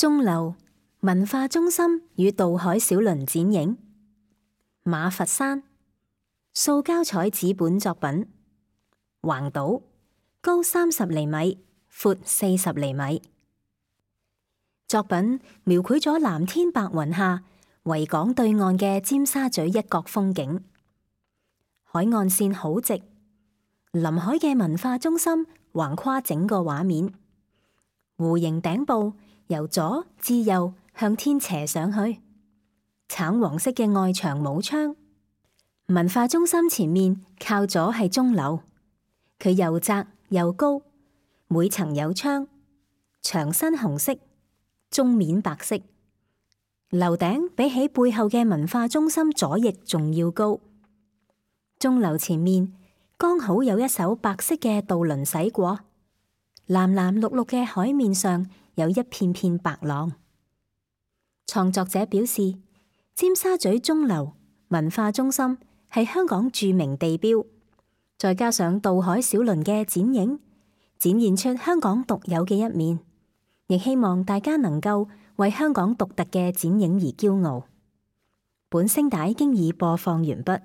鐘樓文化中心與渡海小輪展影，馬佛山塑膠彩紙本作品，橫島高30厘米，闊40厘米。作品描繪咗藍天白雲下維港對岸嘅尖沙咀一角風景，海岸線好直，臨海嘅文化中心橫跨整個畫面，弧形頂部由左至右向天斜上去，橙黃色嘅外牆冇窗。文化中心前面靠左係鐘樓，佢又窄又高，每層有窗，牆身紅色，鐘面白色。樓頂比起背後嘅文化中心左翼仲要高。鐘樓前面剛好有一艘白色嘅渡輪駛過，藍藍綠綠嘅海面上有一片片白浪。創作者表示，尖沙咀鐘樓文化中心係香港著名地標，再加上渡海小輪嘅剪影，展現出香港獨有嘅一面，亦希望大家能夠為香港獨特嘅剪影而驕傲。本聲帶經已播放完畢。